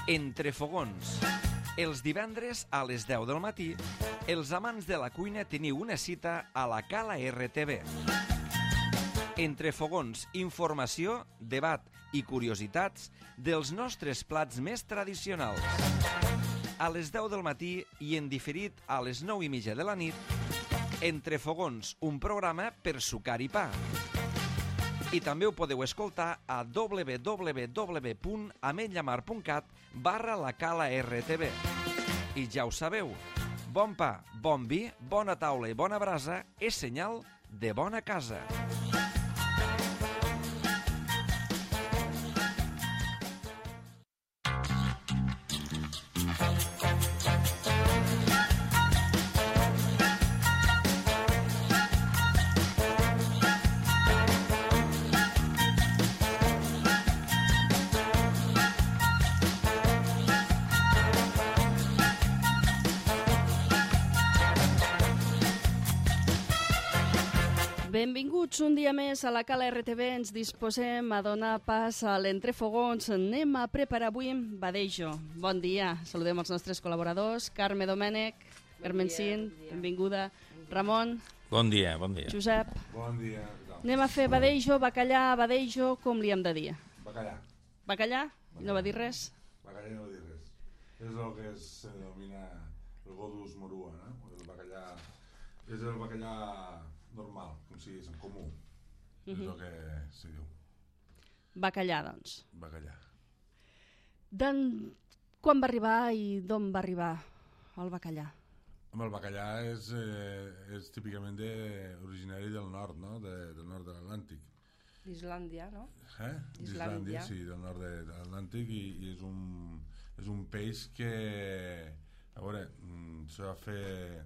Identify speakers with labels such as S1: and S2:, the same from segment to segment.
S1: Entre fogons. Els divendres a les 10 del matí, els amants de la cuina teniu una cita a la Cala RTV. Entre fogons, informació, debat i curiositats dels nostres plats més tradicionals. A les 10 del matí i en diferit a les 9:30 de la nit, Entre fogons, un programa per sucar i pa. I també ho podeu escoltar a www.ametlllamar.cat/la Cala RTV. I ja ho sabeu, bon pa, bon vi, bona taula i bona brasa és senyal de bona casa.
S2: Benvinguts un dia més a la Cala RTV. Ens disposem a donar pas a l'entrefogons. Anem a preparar avui badejo. Bon dia. Saludem els nostres col·laboradors. Carme Domènech, Carmencín, benvinguda. Ramon.
S3: Bon dia, bon dia.
S2: Josep.
S4: Bon dia.
S2: Anem a fer badejo, bacallà, badejo, com li hem de dir?
S4: Bacallà.
S2: Bacallà? No va dir res?
S4: Bacallà no va dir res. És el que se denomina el godus morua, no? El bacallà... És el bacallà normal, com si és en comú. És el que se diu.
S2: Bacallà, doncs.
S4: Bacallà.
S2: Quan va arribar i d'on va arribar el bacallà?
S4: Home, el bacallà és típicament originari del nord, no? Del nord de l'Atlàntic.
S5: D'Islàndia, no?
S4: D'Islàndia, sí, del nord de l'Atlàntic, i és un peix que, a veure, se va fer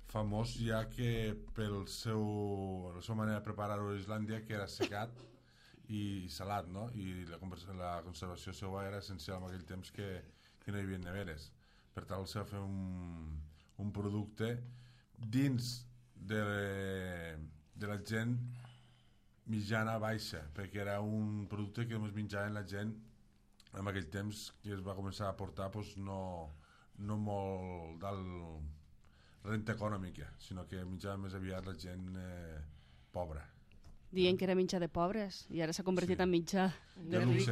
S4: famós ja que per la seva manera de preparar-ho a Islàndia, que era secat i salat, no? I la conservació seva era essencial en aquell temps que no hi havia neveres. Per tant, se va fer un producte dins de la gent mitjana baixa, perquè era un producte que només menjaven la gent en aquell temps que es va començar a portar no molt dalt renta econòmica, sinó que menjava més aviat la gent pobra.
S2: Dient que era mitjà de pobres i ara s'ha convertit en mitjà
S5: de ric.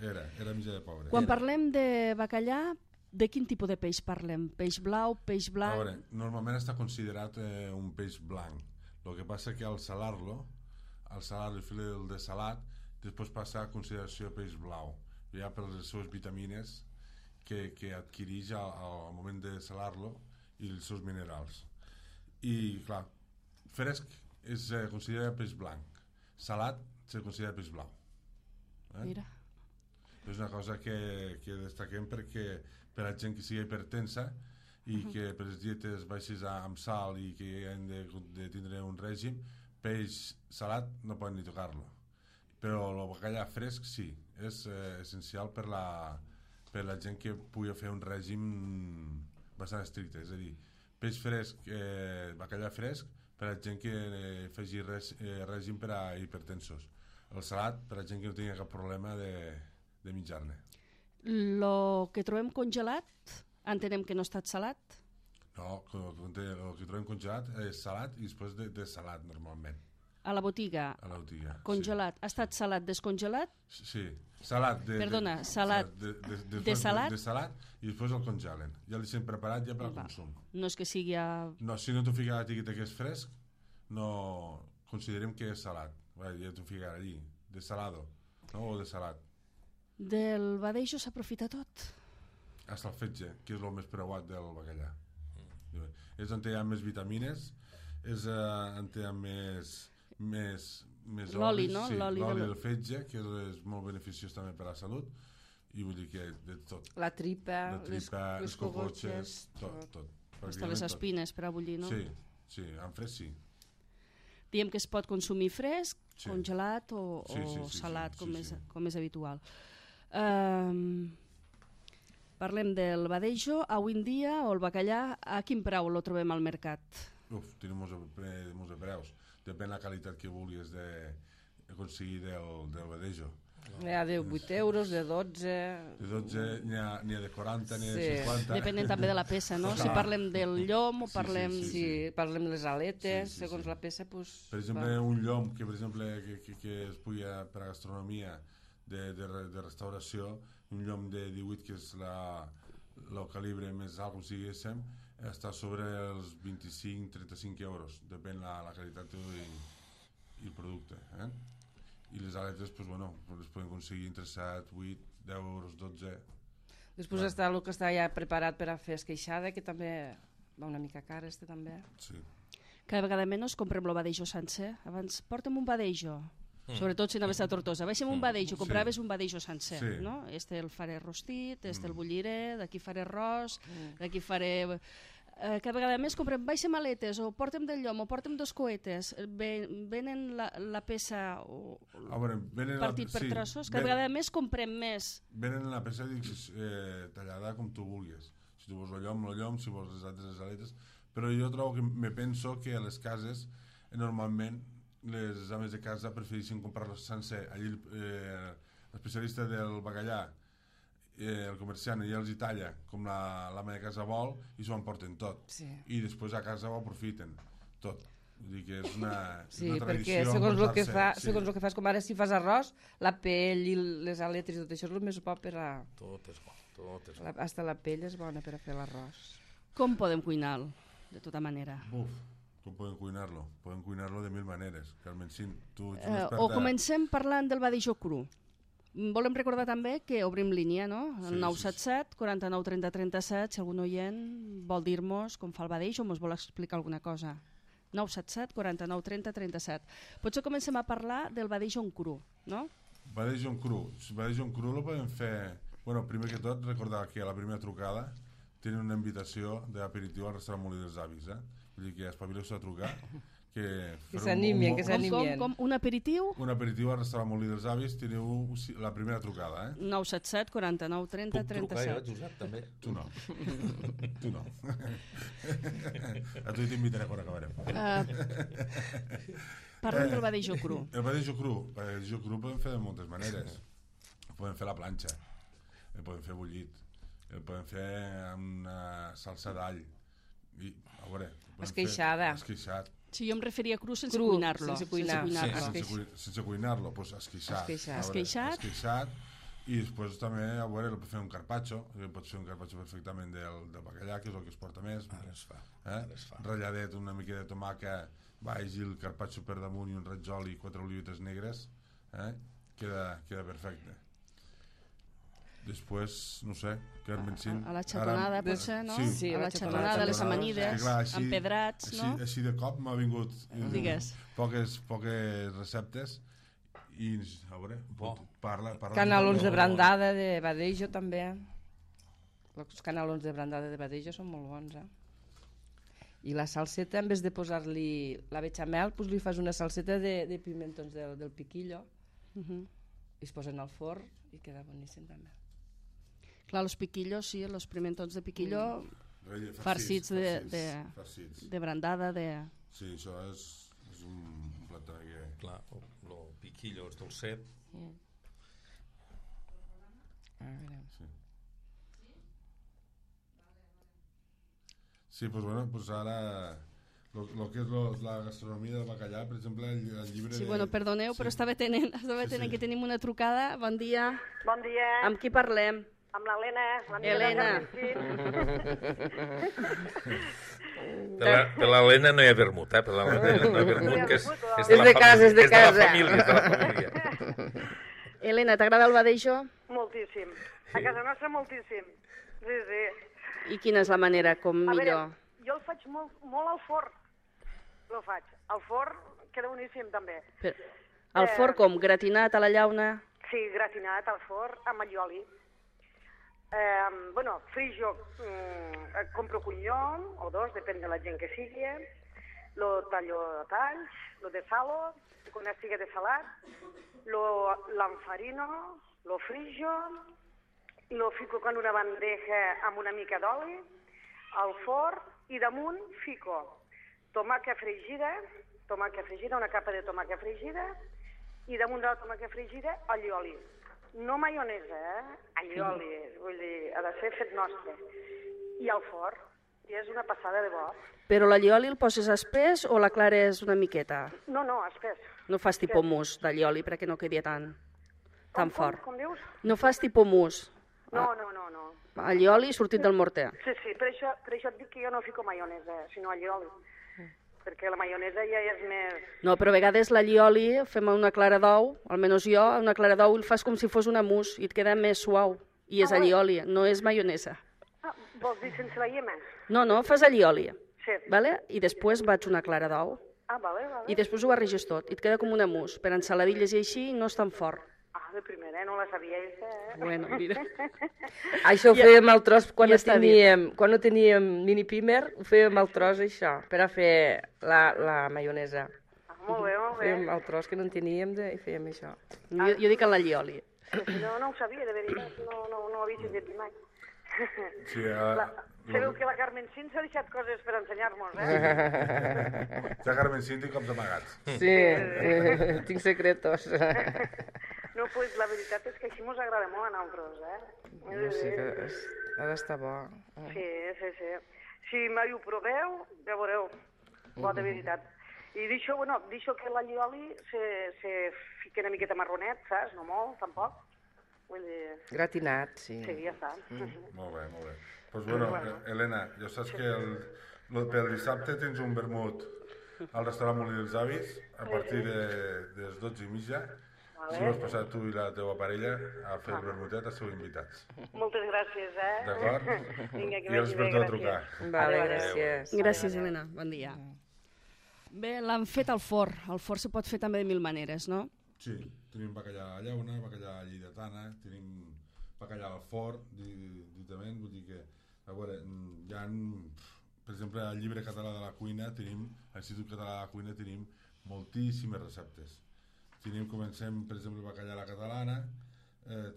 S4: Era mitjà de pobre.
S2: Quan parlem de bacallà, de quin tipus de peix parlem? Peix blau, peix blanc?
S4: A veure, normalment està considerat un peix blanc. El que passa que al salar-lo i fer el dessalat, després passa a consideració peix blau, ja per les seves vitamines que adquireix al moment de salar-lo i els seus minerals. I, clar, fresc es considera peix blanc, salat se considera peix blau.
S2: Mira.
S4: És una cosa que destaquem perquè per a gent que sigui hipertensa i que per les dietes baixes amb sal i que han de tindre un règim, peix salat no poden ni tocar-lo. Però el bacallà fresc sí, és essencial per la gent que pugui fer un règim bastant estricte, és a dir, peix fresc, bacallà fresc per a gent que faci règim per a hipertensos, el salat per a gent que no tingui cap problema de menjar-ne.
S2: Lo que trobem congelat, entenem que no ha estat salat?
S4: No, el que trobem congelat és salat i després de salat normalment.
S2: A la botiga?
S4: A la botiga,
S2: congelat.
S4: Sí.
S2: Ha estat salat descongelat?
S4: Sí, salat.
S2: Perdona, salat de salat?
S4: De salat i després el congelen. Ja el deixem preparat ja per al consum.
S2: No és que sigui a...
S4: No, si no t'ho fica a l'etiqueta que és fresc, no considerem que és salat. Ja t'ho fica allí, de salado, no? O de salat.
S2: Del badejo s'aprofita tot?
S4: Hasta el fetge, que és el més preuat del bacallà. És on hi ha més vitamines, és on hi ha més
S2: l'oli, no?
S4: Sí,
S2: l'oli
S4: del fetge, que és molt beneficiós també per a la salut, i vull dir que de tot.
S5: La tripa,
S4: les cogotxes, tot.
S2: Hasta les espines per a bullir, no?
S4: Sí, en fresc sí.
S2: Diem que es pot consumir fresc, congelat o salat, com és habitual. Parlem del badejo. Avui en dia, o el bacallà, a quin preu lo trobem al mercat?
S4: Tenim molts de preus. Depèn de la qualitat que vulguis aconseguir del badejo.
S5: N'hi ha de 8 euros, de 12...
S4: De 12 n'hi ha de 40, n'hi ha de 50...
S2: Depenent també de la peça, no? Si parlem del llom o parlem...
S5: Sí, parlem de les aletes, segons la peça, doncs...
S4: Per exemple, un llom que, per exemple, que es pugui per a gastronomia de restauració, un llom de 18, que és el calibre més alt, com si diguéssim, està sobre els 25-35 euros, depèn la qualitat i el producte, i les aletes, doncs, bueno, les podem aconseguir entre 7, 8, 10 euros, 12.
S5: Després està el que està ja preparat per a fer esqueixada, que també va una mica car, també.
S4: Sí.
S2: Cada vegada menys comprem el badejo sencer. Abans, porta'm un badejo. Sobretot si anaves a Tortosa. Baixem un badejo, compraves un badejo sencer, no? El faré rostit, el bulliré, d'aquí faré arròs, d'aquí faré... Cada vegada més comprem, baixem aletes, o portem del llom, o portem dos coetes, venen la peça partit per trossos, cada vegada més comprem més.
S4: Venen la peça tallada com tu vulguis. Si tu vols el llom, si vols les aletes, però jo trobo que me penso que a les cases, normalment, les ames de casa prefereixen comprar-los sencer. Allí l'especialista del bacallà, el comerciant, ja els hi talla com l'ama de casa vol i s'ho emporten tot. I després a casa ho aprofiten tot. Vull dir que és una tradició.
S5: Perquè segons el que fas, com ara si fas arròs, la pell i les aletes i tot això és el més bo per a...
S3: Tot és bo.
S5: Hasta la pell és bona per a fer l'arròs.
S2: Com podem cuinar-lo, de tota manera?
S4: Com podem cuinar-lo? Podem cuinar-lo de mil maneres. Carmencín, tu ets
S2: una experta... O comencem parlant del badejo cru. Volem recordar també que obrim línia, no? El 977 49 30 37, si algun oient vol dir-nos com fa el badejo o ens vol explicar alguna cosa. 977 49 30 37. Potser comencem a parlar del badejo en cru, no?
S4: Badejo en cru. El badejo en cru el podem fer... Bueno, primer que tot, recordar que a la primera trucada tenen una invitació d'aperitiu al restaurant Molí dels Avis, Vull dir que espavileu-se a trucar, que
S5: s'animen, que s'animen.
S2: Com un aperitiu?
S4: Un aperitiu al restaurant Molí dels Avis, teniu la primera trucada,
S2: 977 49 30 37.
S3: Puc trucar jo, Josep, també?
S4: Tu no. Tu no. A tu t'invitaré quan acabarem.
S2: Parlem del badejo cru.
S4: El badejo cru podem fer de moltes maneres. Podem fer a la planxa, el podem fer bullit, el podem fer amb una salsa d'all. A veure, esqueixat.
S2: Si jo em referia a cru sense cuinar-lo.
S4: Sense cuinar-lo, doncs esqueixat. I després també, a veure, el pot fer un carpaccio, pots fer un carpaccio perfectament del bacallà, que és el que es porta més.
S3: Ara es fa.
S4: Ralladet, una mica de tomàquet, baix i el carpaccio per damunt i un raig i 4 olivetes negres, queda perfecte. Després, no sé, Carmencín...
S2: A la xatonada, potser, no?
S5: Sí,
S2: a la xatonada, les amanides, empedrats, no?
S4: Així de cop m'ha vingut poques receptes i, a veure, parla...
S5: Canalons de brandada de badejo, també. Els canalons de brandada de badejo són molt bons, I la salseta, en vez de posar-li la bechamel, doncs li fas una salseta de pimentons del piquillo i es posen al forn i queda boníssim també.
S2: Clar, els piquillos, sí, els pimentons de piquillo farcits de brandada, de...
S4: Sí, això és un plat que...
S3: Clar, el piquillo és dolcet.
S4: Sí, doncs bueno, doncs ara... El que és la gastronomia del bacallà, per exemple, el llibre...
S2: Sí, bueno, perdoneu, però estava tenint que tenim una trucada. Bon dia.
S6: Bon dia.
S2: Amb qui parlem?
S6: Amb l'Helena.
S2: Helena.
S3: Per l'Helena no hi ha vermut, Per l'Helena no hi ha vermut, que és
S5: de casa. És de la
S3: família.
S2: Helena, t'agrada el badejo?
S6: Moltíssim. A casa nostra moltíssim. Sí.
S2: I quina és la manera com millor?
S6: Jo el faig molt al forn. El faig. Al forn queda boníssim, també.
S2: Al forn com? Gratinat a la llauna?
S6: Sí, gratinat al forn amb allioli. Frijo, compro un llom o dos, depèn de la gent que sigui. Lo tallo a talls, lo desalo, quan estigui desalat, l'enfarino, lo frijo, lo fico en una bandeja amb una mica d'oli, al forn, i damunt fico tomàquet fregida, una capa de tomàquet fregida, i damunt de la tomàquet fregida, allioli. No maionesa, allioli, vull dir, ha de ser fet nostre. I al forn, i és una passada de bo.
S2: Però l'allioli el poses espès o la clares una miqueta?
S6: No, espès.
S2: No fas tipus mousse d'allioli perquè no quedi tan fort.
S6: Com dius?
S2: No fas tipus mousse.
S6: No.
S2: Allioli sortit del morter.
S6: Sí, per això et dic que jo no fico maionesa, sinó allioli. Perquè la maionesa ja és més...
S2: No, però a vegades l'allioli fem una clara d'ou, almenys jo, una clara d'ou el fas com si fos una mousse i et queda més suau. I és allioli, no és maionesa.
S6: Vols dir sense la iema?
S2: No, fas allioli.
S6: Sí.
S2: Vale? I després vaig una clara d'ou.
S6: Vale.
S2: I després ho barreges tot, i et queda com una mousse. Per ensaladilles i així no és tan fort.
S6: De primera, no la sabia,
S2: Bueno, mira.
S5: Això ho fèiem al tros quan
S2: ja
S5: no teníem mini pimer, ho fèiem al tros això, per a fer la maionesa.
S6: Molt bé.
S5: Fèiem al tros que no en teníem i fèiem això.
S2: Jo dic en l'allioli.
S6: No ho sabia, de veritat, no ho havia sentit mai.
S4: Sí,
S6: sabeu que la Carmen Cint s'ha deixat coses per ensenyar-nos,
S4: Ja Carmen Cint i cops amagats.
S5: Sí, tinc secretos.
S6: No, doncs la veritat és que així mos agrada molt a nosaltres,
S5: Sí, que ha d'estar bo.
S6: Sí. Si mai ho proveu, ja veureu, bo de veritat. I deixo que l'allioli se fica una miqueta marronet, saps? No molt, tampoc. Vull dir...
S5: Gratinat, sí.
S6: Sí, ja està.
S4: Molt bé. Doncs bueno, Helena, ja saps que pel dissabte tens un vermut al restaurant Molí dels Avis a partir de les 12:30. Si vols passar tu i la teva parella a fer el vermutet, esteu invitats.
S6: Moltes gràcies,
S4: D'acord?
S6: Vinga, que
S4: I els
S6: vagi bé,
S4: perdó a
S6: gràcies.
S4: trucar.
S5: Vale, gràcies.
S2: Gràcies, Helena. Bon dia. Bé, l'han fet al forn. El forn se pot fer també de mil maneres, no?
S4: Sí, tenim bacallà a llauna, bacallà a lleidatana, tenim bacallà al forn, ditament, vull dir que, a veure, hi ha, per exemple, al llibre català de la cuina, a l'Institut Català de la Cuina tenim moltíssimes receptes. Comencem, per exemple, bacallà a la catalana,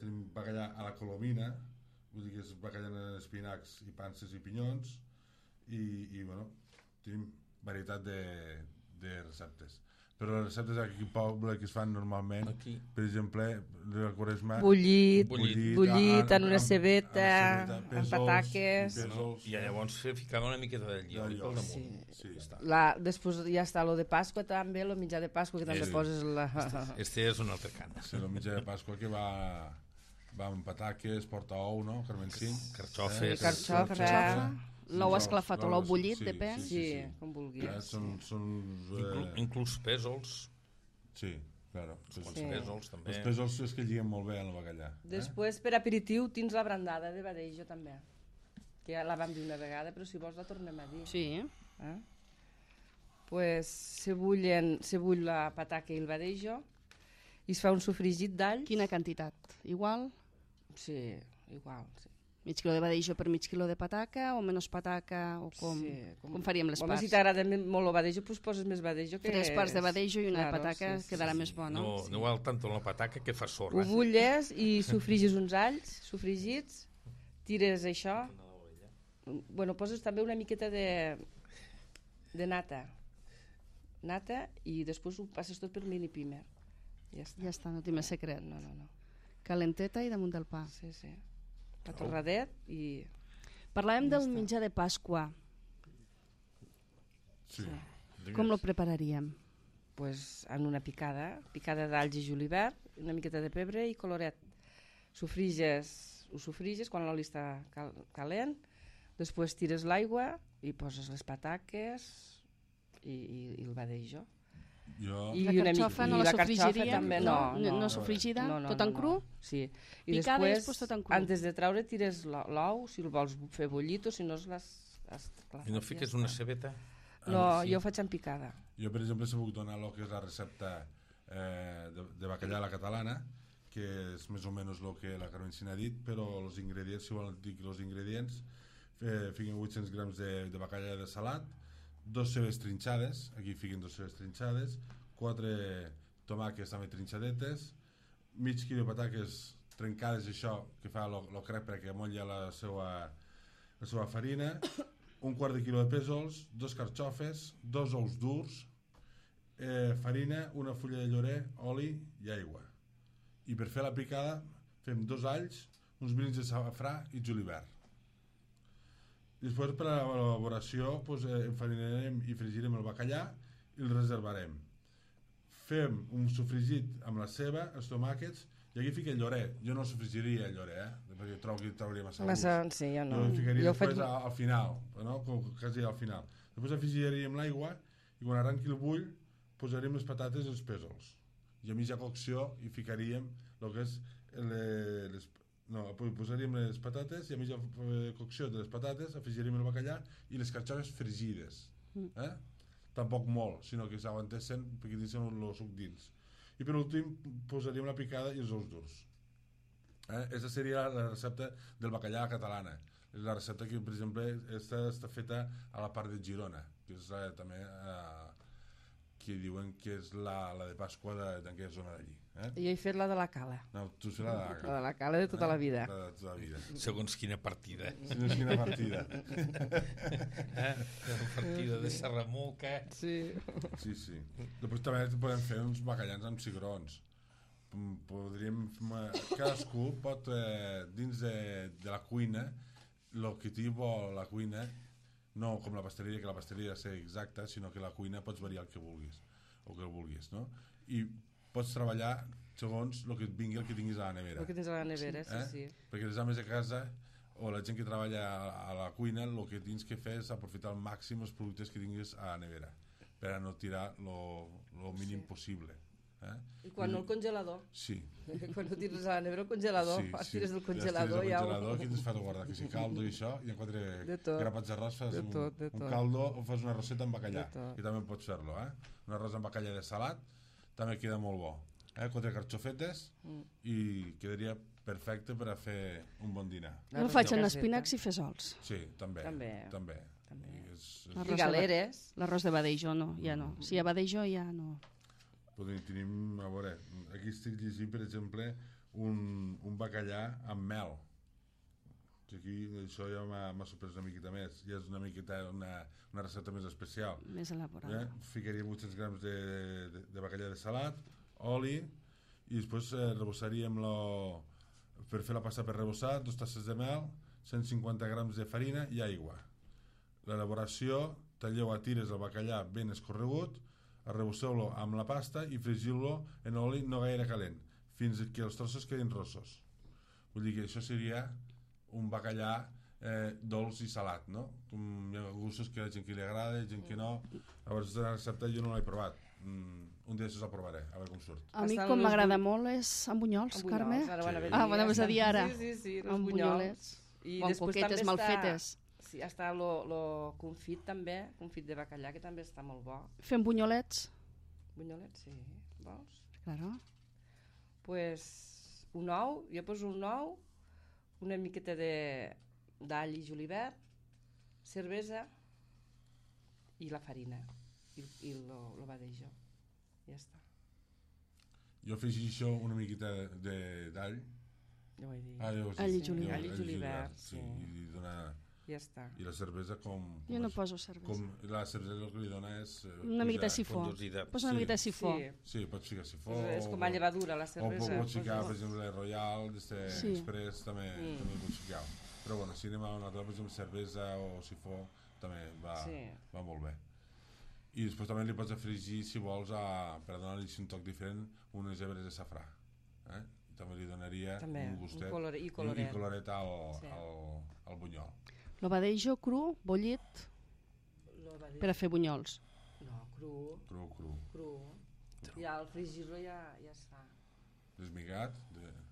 S4: tenim bacallà a la colomina, vull dir que és bacallà en espinacs i panses i pinyons, i bueno, tenim varietat de receptes. Però les receptes aquí al poble que es fan normalment, per exemple, la Quaresma...
S5: Bullit en una cebeta, amb pataques...
S3: I llavors ficava una miqueta de llioli pel damunt.
S5: Després ja està lo de Pasqua també, lo mitjà de Pasqua, que també poses la...
S3: Este és un altre cant.
S4: Sí, lo mitjà de Pasqua que va amb pataques, porta ou, no? Carmen Cint.
S3: Carxofes.
S5: Carxofa.
S2: L'ou esclafat o l'ou bullit, depèn.
S5: Sí, com vulguis.
S3: Inclús pèsols.
S4: Sí, claro.
S3: Els pèsols també.
S4: Els pèsols és que lliguen molt bé en el bacallà.
S5: Després, per aperitiu, tens la brandada de Badejo també, que ja la vam dir una vegada, però si vols la tornem a dir.
S2: Sí.
S5: Pues se bull la pataca i el Badejo i es fa un sofregit d'all.
S2: Quina quantitat? Igual?
S5: Sí, igual, sí.
S2: Mig quilo de badejo per mig quilo de pataca o menys pataca o com? Sí, com faríem les parts?
S5: Si t'agrada molt el badejo, doncs poses més badejo.
S2: 3 parts de badejo i una de pataca quedarà més bona.
S3: No val tant la pataca que fa sorra.
S5: Ho bulles i sofrigis uns alls sofrigits, tires això, poses també una miqueta de nata i després ho passes tot per mini pimer.
S2: Ja està, no té més secret.
S5: No.
S2: Calenteta i damunt del pa.
S5: Sí. Pa torradet i...
S2: Parlàvem del menjar de Pasqua.
S4: Sí.
S2: Com lo prepararíem?
S5: Pues en una picada d'alls i julivert, una miqueta de pebre i coloret. Ho sofriges quan l'oli està calent, després tires l'aigua i poses les pataques i el badejo.
S2: La carxofa no la sofrigiríem? No sofrigida? Tot en cru?
S5: Sí.
S2: I després tot en cru?
S5: Antes de treure tires l'ou, si el vols fer bullit o si no l'has...
S3: I no fiques una cebeta?
S5: No, jo ho faig en picada.
S4: Jo, per exemple, se puc donar el que és la recepta de bacallà a la catalana, que és més o menys el que la Carmen Cint ha dit, però els ingredients, si volen dir els ingredients, fiquen 800 grams de bacallà de salat, 2 cebes trinxades, aquí fiquen 2 cebes trinxades, 4 tomàquets també trinxadetes, mig quilo de pataques trencades, això que fa el crep perquè amolla la seva farina, un quart de quilo de pèsols, 2 carxofes, 2 ous durs, farina, una fulla de llorer, oli i aigua. I per fer la picada fem 2 alls, uns brins de safrà i julivert. Després, per a l'elaboració, enfarinarem i fregirem el bacallà i el reservarem. Fem un sofregit amb la ceba, els tomàquets, i aquí fica el llorer. Jo no sofregiria el llorer, perquè trobo que trauria massa gust.
S5: Sí, jo no.
S4: Jo el ficaria després al final, no? Quasi al final. Després afegiríem l'aigua i quan arrenqui el bull posaríem les patates i els pèsols. I a mitja cocció hi ficaríem el que és posaríem les patates i a mitja cocció de les patates afegiríem el bacallà i les carxofes fregides. Tampoc molt, sinó que s'aguantessin perquè deixen el suc dins. I per últim posaríem la picada i els ous durs. Aquesta seria la recepta del bacallà catalana. És la recepta que, per exemple, està feta a la part de Girona, que és també que diuen que és la de Pasqua d'aquella zona d'allí.
S5: Jo he fet la de la Cala.
S4: No, tu has fet la de la Cala.
S5: La de la Cala de tota la vida.
S4: La de tota la vida.
S3: Segons quina partida.
S4: Segons quina partida.
S3: La partida de Serramuca.
S5: Sí.
S4: Sí. Després també podem fer uns bacallans amb cigrons. Cadascú pot, dins de la cuina, el que t'hi vol la cuina, no com la pasteleria, que la pasteleria ha de ser exacta, sinó que la cuina pots variar el que vulguis, o que el vulguis, no? I pots treballar segons el que et vingui, el que tinguis a la nevera.
S5: El que tens a la nevera, sí.
S4: Perquè les ames de casa o la gent que treballa a la cuina, el que tens que fer és aprofitar al màxim els productes que tinguis a la nevera, per a no tirar el mínim possible.
S5: I quan no el congelador.
S4: Sí.
S5: Quan no tires a la nevera el congelador, tires del congelador
S4: i aquí tens fas guardar que si caldo i això, i en 4 grapats d'arròs fas un caldo o fas una roseta amb bacallà, i també pots fer-lo, un arròs amb bacallà de salat també queda molt bo, 4 carxofetes i quedaria perfecte per a fer un bon dinar.
S2: Jo el faig en espinacs i fesols.
S4: Sí, també.
S5: I galeres.
S2: L'arròs de Badejo no, ja no. Si hi ha Badejo ja no.
S4: Tenim, a veure, aquí estic llegint, per exemple, un bacallà amb mel. Aquí això ja m'ha sorprès una miqueta més. Ja és una miqueta una recepta més especial.
S2: Més elaborada.
S4: Ficaríem 800 grams de bacallà de salat, oli, i després rebossaríem per fer la pasta per rebossar, 2 tasses de mel, 150 grams de farina i aigua. L'elaboració, talleu a tires el bacallà ben escorregut, arrebosseu-lo amb la pasta i fregiu-lo en oli no gaire calent fins que els trossos quedin rossos. Vull dir que això seria un bacallà dolç i salat, no? Hi ha gustos que a la gent que li agrada, gent que no. Llavors aquesta recepta jo no l'he provat. Un dia la provaré, a veure com surt.
S2: A mi com m'agrada molt és amb bunyols, Carme. Anaves a dir ara.
S5: Sí,
S2: amb bunyolets.
S5: O
S2: amb coquetes mal fetes.
S5: Sí, està el confit també, confit de bacallà, que també està molt bo.
S2: Fem bunyolets?
S5: Bunyolets, sí. Vols?
S2: Claro.
S5: Pues un ou, jo poso un ou, una miqueta d'all i julivert, cervesa i la farina i el badejo. Ja està.
S4: Jo afegeixo una miqueta d'all.
S5: Ja ho he dit.
S2: All i julivert.
S5: All i julivert, sí.
S4: I donar...
S5: Ja està.
S4: I la cervesa com...
S2: Jo no poso cervesa.
S4: La cervesa el que li dona és...
S2: una miqueta de sifó. Posa una miqueta de sifó.
S4: Sí, pots ficar sifó.
S5: És com a llevadura, la cervesa.
S4: O pots ficar, per exemple, Royal, Express, també pots ficar. Però bueno, si anem a una altra, per exemple, cervesa o sifó, també va molt bé. I després també li pots afegir, si vols, per donar-li un toc diferent, unes hebres de safrà. També li donaria un gustet
S5: i coloret
S4: al bunyol.
S2: Lo badejo cru, bullit, per a fer bunyols.
S5: No, cru. I al fregir-lo ja està.
S4: Desmigat,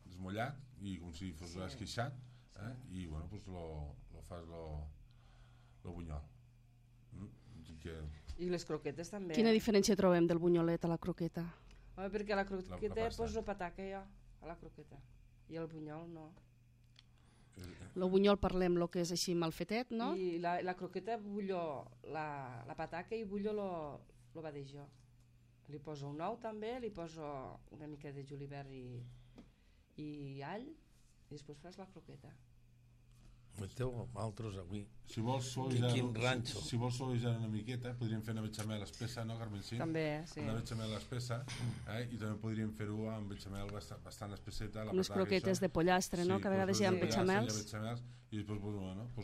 S4: desmollat, i com si fos esqueixat, i bueno, pues lo fas lo bunyol.
S5: I les croquetes també.
S2: Quina diferència trobem del bunyolet a la croqueta?
S5: Home, perquè a la croqueta poso pataca jo, a la croqueta, i el bunyol no.
S2: El bunyol parlem el que és així mal fetet, no?
S5: I la croqueta bullo la pataca i bullo lo badejo. Li poso un ou també, li poso una mica de julivert i all, i després fas la croqueta.
S3: Meteu altres avui.
S4: Si vols suavitzar una miqueta, podríem fer una bechamel espessa, no, Carmencín?
S5: També, sí.
S4: Una bechamel espessa, i també podríem fer-ho amb bechamel bastant espesseta.
S2: Com les croquetes de pollastre, no? Que a vegades hi ha bechamels.
S4: I després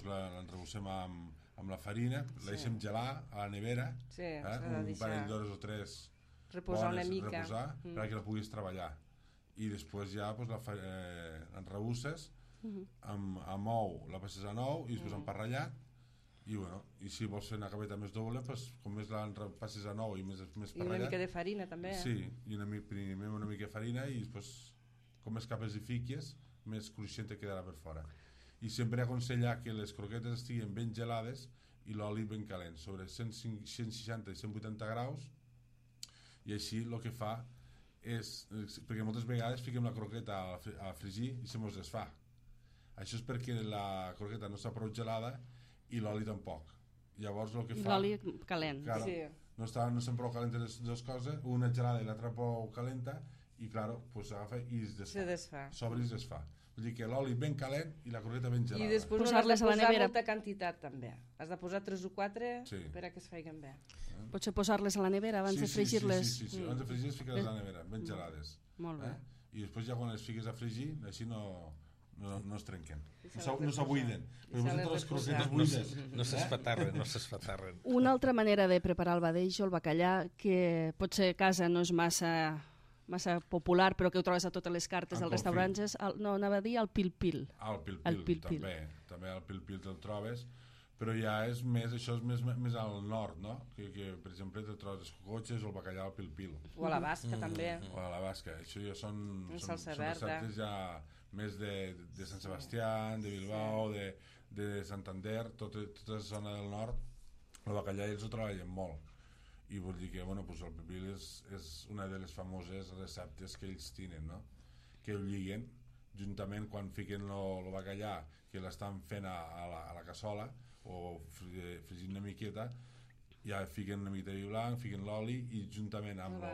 S4: l'enrebussem amb la farina, la deixem gelar a la nevera, un parell d'hores o 3
S5: reposar una mica
S4: perquè la puguis treballar. I després ja l'enrebusses amb ou, la passes a ou i després amb pa ratllat. I si vols fer una capeta més doble, com més la passes a nou i més pa ratllat.
S5: I una mica de farina també.
S4: Sí, i primer una mica de farina i després com més capes hi fiques, més cruixent te quedarà per fora. I sempre aconsellar que les croquetes estiguin ben gelades i l'oli ben calent, sobre 160 i 180 graus, i així el que fa és, perquè moltes vegades fiquem la croqueta a fregir i se mos desfà. Això és perquè la croqueta no està prou gelada i l'oli tampoc. Llavors el que fa...
S2: L'oli calent.
S4: Claro,
S5: sí.
S4: No estan prou calentes les dues coses, una gelada i l'altra prou calenta, i claro, pues s'agafa i es desfà.
S5: Se desfà.
S4: S'obre i es desfà. Vull dir que l'oli ben calent i la croqueta ben gelada.
S5: I després no has de posar molta quantitat també. Has de posar 3 o 4 per a que es feien bé.
S2: Potser posar-les a la nevera abans de fregir-les.
S4: Sí. Abans de fregir-les fiques a la nevera, ben gelades.
S2: Molt bé.
S4: I després ja quan les fiques a fregir, així no es trenquen. No s'abuiden. Perquè vosaltres les croquetes buides.
S3: No s'esfatarren.
S2: Una altra manera de preparar el badeix o el bacallà, que potser a casa no és massa popular, però que ho trobes a totes les cartes dels restaurants, és anava a dir el pil-pil.
S4: El pil-pil, també el pil-pil te'l trobes, però ja és més, això és més al nord, no? Que per exemple te trobes les cocotxes o el bacallà al pil-pil.
S5: O a la basca també.
S4: O a la basca, això ja són
S5: verda.
S4: receptes ja més de Sant Sebastià, de Bilbao, de Santander, tota la zona del nord, el bacallà ells ho treballen molt. I vull dir que el pil-pil és una de les famoses receptes que ells tenen, no? Que ho lliguen juntament quan fiquen el bacallà, que l'estan fent a la cassola o fregint una miqueta, ja fiquen una mica de vi blanc, fiquen l'oli i juntament amb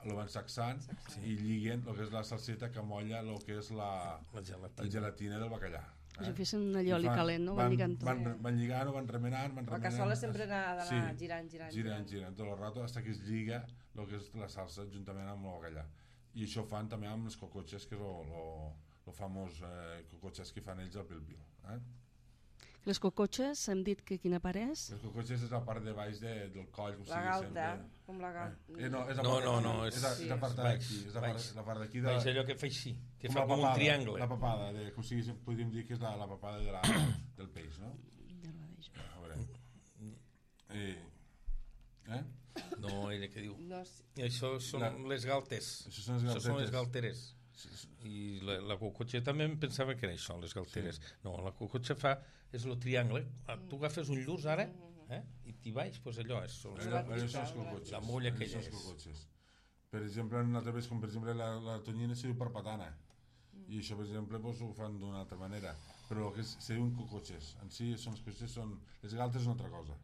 S4: lo van sacsant i lliguen el que és la salseta que molla el que és la gelatina del bacallà.
S2: Si fessin un allioli calent, no? Van lligant tot.
S4: Van lligant, van remenant.
S5: La cassola sempre ha d'anar girant.
S4: Girant tot el rato fins que es lliga el que és la salsa juntament amb el bacallà. I això fan també amb les cocotxes, que és el famós cocotxes que fan ells al pil-pil.
S2: Les cocotxes, hem dit que quina part és?
S4: Les cocotxes és la part de baix del coll.
S5: La galta, com la galta.
S3: No, és
S4: la part d'aquí. És la part d'aquí.
S3: És allò que fa així, que fa com un triangle.
S4: La papada, podríem dir que és la papada del peix, no? A veure.
S3: No, ella que diu. Això són les galtes.
S4: Això són les
S3: galteres. I la cocotxa també em pensava que era això, les galteres. No, la cocotxa és el triangle. Tu agafes un llurs ara i t'hi baix, doncs allò és la mulla aquella és.
S4: Per exemple, en altres vegades, com per exemple la tonyina se diu parpatana, i això per exemple ho fan d'una altra manera, però el que se diuen cocotxes en si són les galtes és una altra cosa.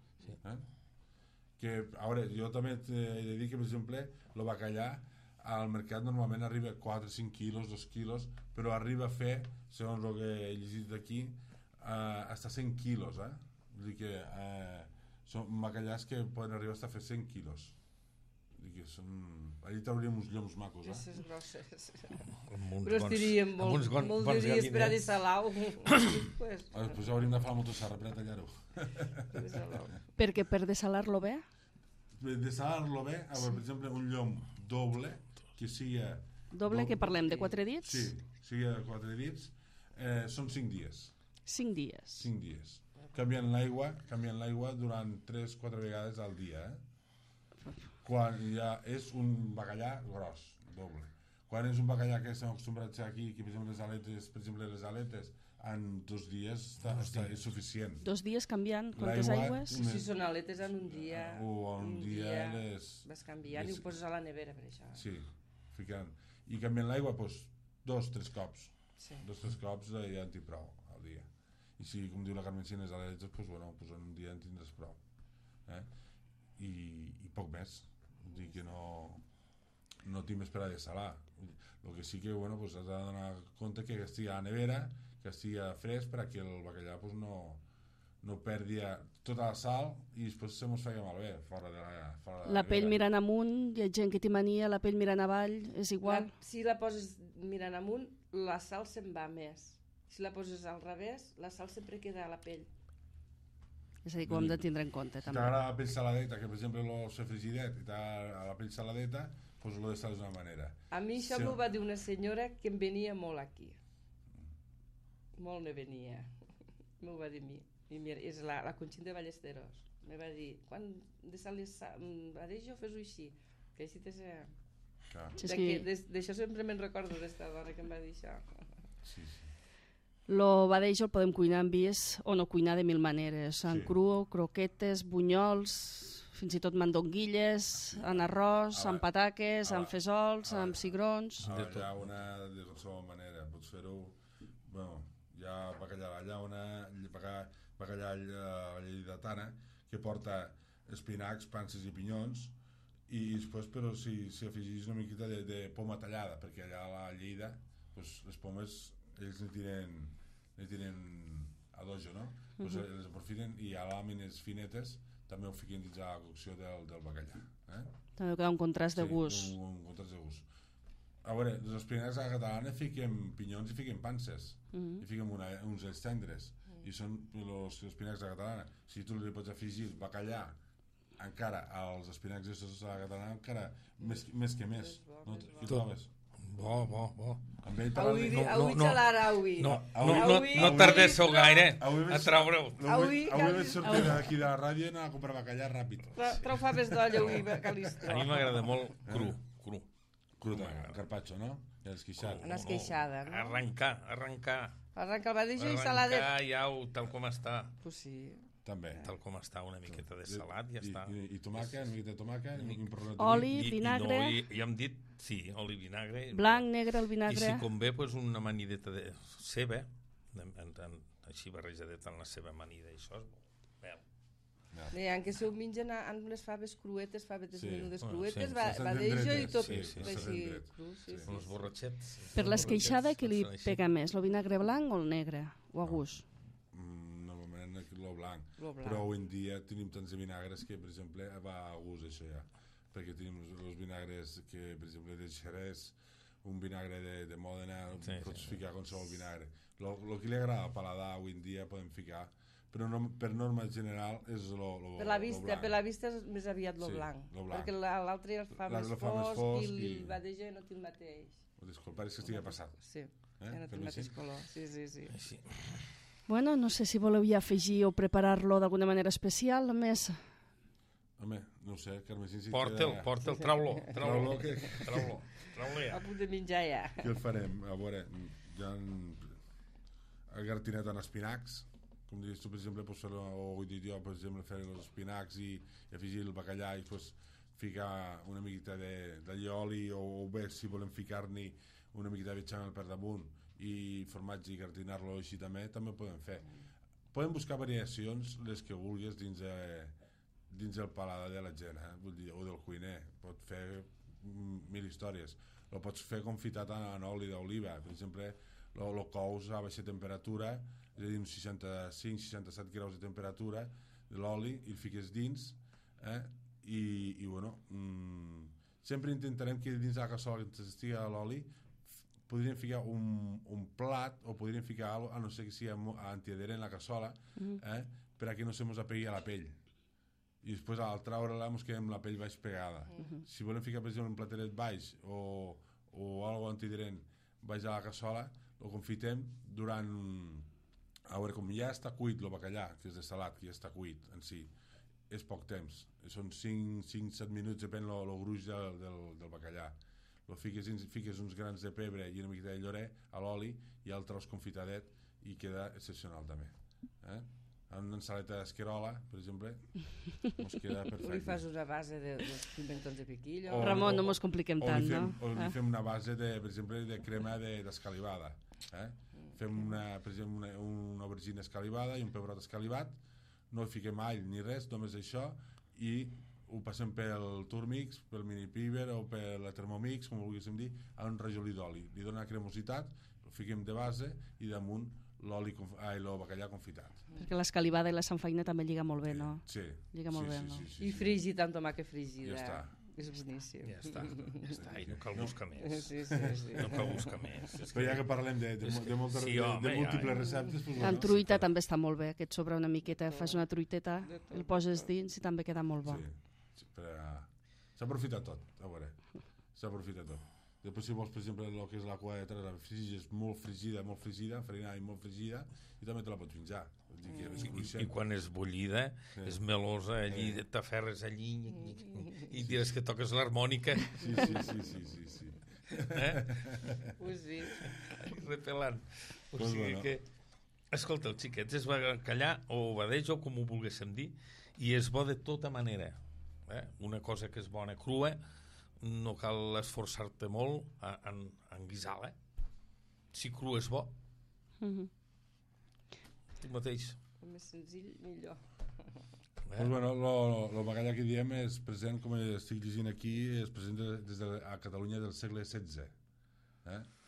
S4: Que, a veure, jo també he de dir que per exemple el bacallà al mercat normalment arriba a 4-5 quilos, 2 quilos, però arriba a fer, segons el que he llegit d'aquí, hasta 100 quilos, vull dir que són bacallars que poden arribar a fer 100 quilos. Vull dir que són... Allí trauríem uns lloms macos,
S5: Grosses, grosses.
S3: Però
S5: estiríem molt de dies per a desalar-ho.
S4: Després hauríem de fer la motossarra per a tallar-ho.
S2: Perquè per desalar-lo bé?
S4: Per desalar-lo bé, per exemple, un llom doble, que sigui...
S2: Doble que parlem, de 4 dits?
S4: Sí, sigui de 4 dits, són 5 dies.
S2: 5 dies.
S4: 5 dies. Canviant l'aigua durant 3-4 vegades al dia, quan ja és un bacallà gros, doble. Quan és un bacallà que estem acostumbrats aquí, que per exemple les aletes, en 2 dies és suficient.
S2: 2 dies canviant quantes aigües?
S5: Si són aletes en un dia,
S4: un dia
S5: vas canviant i ho poses a la nevera per això.
S4: Sí, ficant. I canviant l'aigua, 2-3 cops. 2-3 cops ja en tinc prou al dia. I si, com diu la Carmencina, les aletes, en un dia en tindràs prou. I poc més. Vull dir que no tinc més per a desalar. El que sí que has de donar compte que estigui a la nevera, que estigui fresc perquè el bacallà pues, no perdi tota la sal i després se mos feia malbé fora de
S2: la pell mirant amunt, hi ha gent que té mania, la pell mirant avall, és igual?
S5: Si la poses mirant amunt, la sal se'n va més. Si la poses al revés, la sal sempre queda a la pell.
S2: És a dir, que ho hem de tindre en compte,
S4: si
S2: també.
S4: t'agrada la pell saladeta, que per exemple lo sé frigidet i t'agrada la pell saladeta, pues lo deixes d'una manera.
S5: A mi això m'ho va dir una senyora que em venia molt aquí. Molt me venia. M'ho va dir a mi. I mira, és la Conxin de Ballesteros. Me va dir, quan de sal Badejo fes-ho així, que així te sé... D'això sempre me'n recordo d'esta dona que em va dir això.
S4: Sí.
S2: Lo badejo el podem cuinar en vis o no cuinar de mil maneres, en cru, croquetes, bunyols, fins i tot mandonguilles, en arròs, en pataques, en fesols, en cigrons...
S4: Hi ha una de qualsevol manera, pots fer-ho... Bueno, hi ha bacallà a la llauna, bacallà a la lleidatana, que porta espinacs, panses i pinyons, i després, però si afegís una miqueta de poma tallada, perquè allà a la Lleida pues, les pomes ells ne tiren a dojo, no? Pues les aprofiten i a làmines finetes també ho fiquen dins la cocció del bacallà.
S2: També queda un contrast de gust.
S4: Sí, un contrast de gust. A veure, els espinacs a la catalana fiquem pinyons i fiquem panses, i fiquem uns ells tendres, i són els espinacs a la catalana. Si tu li pots afegir bacallà encara als espinacs a la catalana, encara més que més. No, què trobes?
S3: Bo.
S5: Avui xalar, avui.
S3: No tardéssiu gaire a treure-ho.
S4: Avui vaig sortir d'aquí de la ràdio i anar a comprar bacallà ràpid.
S5: Trau faves d'olla avui, Calistro.
S3: A mi m'agrada molt cru.
S4: Cru també, el carpaccio, no? I l'esqueixada.
S5: Una esqueixada, no?
S3: Arrencar.
S5: Arrenca el badejo i saladet.
S3: Arrencar ja tal com està.
S5: Pues sí.
S4: També.
S3: Tal com està, una miqueta de salat, ja està.
S4: I tomàquet, una miqueta de tomàquet,
S2: oli, vinagre.
S3: Ja hem dit, sí, oli, vinagre.
S2: Blanc, negre, el vinagre.
S3: I si convé, pues, una amanideta de ceba, així barrejadeta en la seva amanida, això és bo.
S5: Que se ho mengen amb les faves cruetes, favetes menudes cruetes,
S4: sí.
S5: badejo i tot
S4: així
S5: cru.
S3: Els borratxets.
S2: Per l'esqueixada, què li pega més, el vinagre blanc o el negre? O a gust?
S4: Normalment el blanc. Però avui en dia tenim tants de vinagres que, per exemple, va a gust això ja. Perquè tenim els vinagres que, per exemple, de Xerès, un vinagre de Mòdena, pots ficar qualsevol vinagre. El que li agrada al paladar avui en dia podem ficar, però per norma general és el blanc.
S5: Per la vista és més aviat el blanc, perquè l'altre el fa més fosc i el badejo no té el mateix.
S4: Disculpa, és que estigui passat.
S5: Sí, ja no té el mateix color. Sí.
S2: Bueno, no sé si voleu ja afegir o preparar-lo d'alguna manera especial, a més...
S4: Home, no ho sé, Carmesí...
S3: Porta'l, trau-lo.
S4: Trau-lo.
S5: A punt de menjar ja.
S4: Què el farem? A veure, hi ha el gartinet en espinacs, com dius tu, per exemple, pots fer-lo, o jo, per exemple, fer els espinacs i afegir el bacallà i després ficar una miqueta d'allioli o bé, si volem ficar-n'hi una miqueta de bechamel per damunt i formatge i gratinar-lo així també ho podem fer. Podem buscar variacions, les que vulguis, dins el paladar de la gent, vull dir, o del cuiner. Pot fer mil històries. Lo pots fer confitat en oli d'oliva. Per exemple, lo cous a baixa temperatura, és a dir, uns 65-67 graus de temperatura de l'oli, i el fiques dins, i bueno, sempre intentarem que dins de la cassola que estigui a l'oli podríem ficar un plat o podríem ficar alguna cosa, a no ser que sigui antiadherent en la cassola, per a que no se mos apegui a la pell. I després al traure-la ens quedem amb la pell baix pegada. Si volem ficar, per exemple, un plateret baix o alguna antiadherent baix a la cassola, ho confitem durant... A veure, com ja està cuit el bacallà, que és de salat, que ja està cuit en si, és poc temps. Són 5-7 minuts, depèn del gruix del bacallà. Fiques uns grans de pebre i una miqueta de llorer a l'oli i el tros confitadet i queda excepcional també. Amb una ensaleta d'esquerola, per exemple, ens queda perfecte.
S5: O li fas una base de pimentons de piquillo.
S2: Ramon, no mos compliquem tant, no?
S4: O li fem una base, per exemple, de crema d'escalivada. Fem, per exemple, una aubergina escalivada i un pebrot escalivat, no hi fiquem all ni res, només això, i ho passem pel Turmix, pel Mini Piber o per la Thermomix, com ho volguéssim dir, a un rajolí d'oli. Li dona cremositat, ho fiquem de base i damunt el bacallà confitat.
S2: Perquè l'escalivada i la sanfaina també lliga molt bé, no?
S4: Sí.
S2: Lliga molt bé, no?
S5: I fregit amb tomàquet fregida.
S4: Ja està.
S5: És boníssim.
S3: Ja està. I no cal buscar més.
S5: Sí.
S3: No cal buscar més.
S4: Però ja que parlem de múltiples receptes...
S2: Amb truita també està molt bé, que et sobra una miqueta, fas una truiteta, el poses dins i també queda molt bo.
S4: Sí, s'aprofita tot, a veure, s'aprofita tot. Després si vols, per exemple, el que és la cua de tres, la és molt fregida, farinada i molt fregida, i també te la pots menjar.
S3: I quan és bullida, és melosa, allí t'aferres allí i diràs que toques l'harmònica.
S4: Sí.
S5: Sí.
S3: Repelant. O sigui que... Escolta, els xiquets es bacallà o badeig o com ho volguéssim dir, i és bo de tota manera. Una cosa que és bona crua, no cal esforçar-te molt en guisar-la. Si cru és bo. Tu mateix.
S5: El més senzill, millor.
S4: Doncs bueno, el bacallà que diem és present, com estic llegint aquí, és present a Catalunya del segle XVI.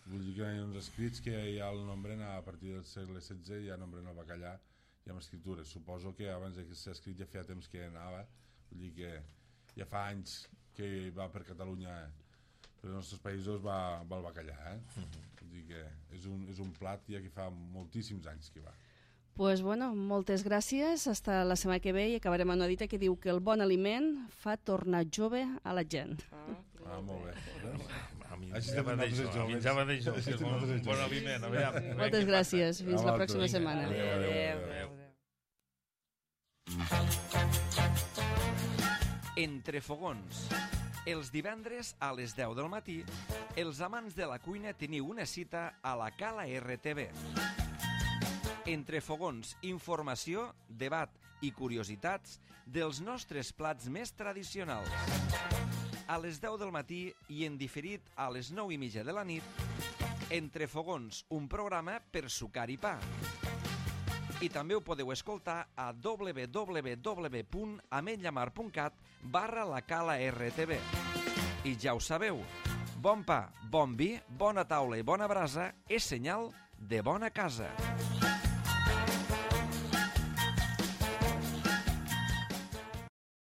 S4: Vull dir que hi ha uns escrits que ja el nombren a partir del segle XVI, ja nombren el bacallà i amb escritures. Suposo que abans de ser escrit ja feia temps que anava, vull dir que ja fa anys que va per Catalunya, per els nostres països va el bacallà. Vull dir que és un plat ja que fa moltíssims anys que va.
S2: Pues bueno, moltes gràcies. Hasta la setmana que ve i acabarem amb una dita que diu que el bon aliment fa tornar jove a la gent.
S4: Molt bé.
S3: A mi ja va d'això, que és un bon aliment.
S2: Moltes gràcies. Fins la pròxima setmana.
S5: Adéu.
S1: Entre fogons. Els divendres a les 10 del matí, els amants de la cuina teniu una cita a la Cala RTV. Entre fogons, informació, debat i curiositats dels nostres plats més tradicionals. A les 10 del matí i en diferit a les 9:30 de la nit, Entre fogons, un programa per sucar i pa. I també ho podeu escoltar a www.ametlllamar.cat/la-cala-rtv. I ja ho sabeu, bon pa, bon vi, bona taula i bona brasa és senyal de bona casa.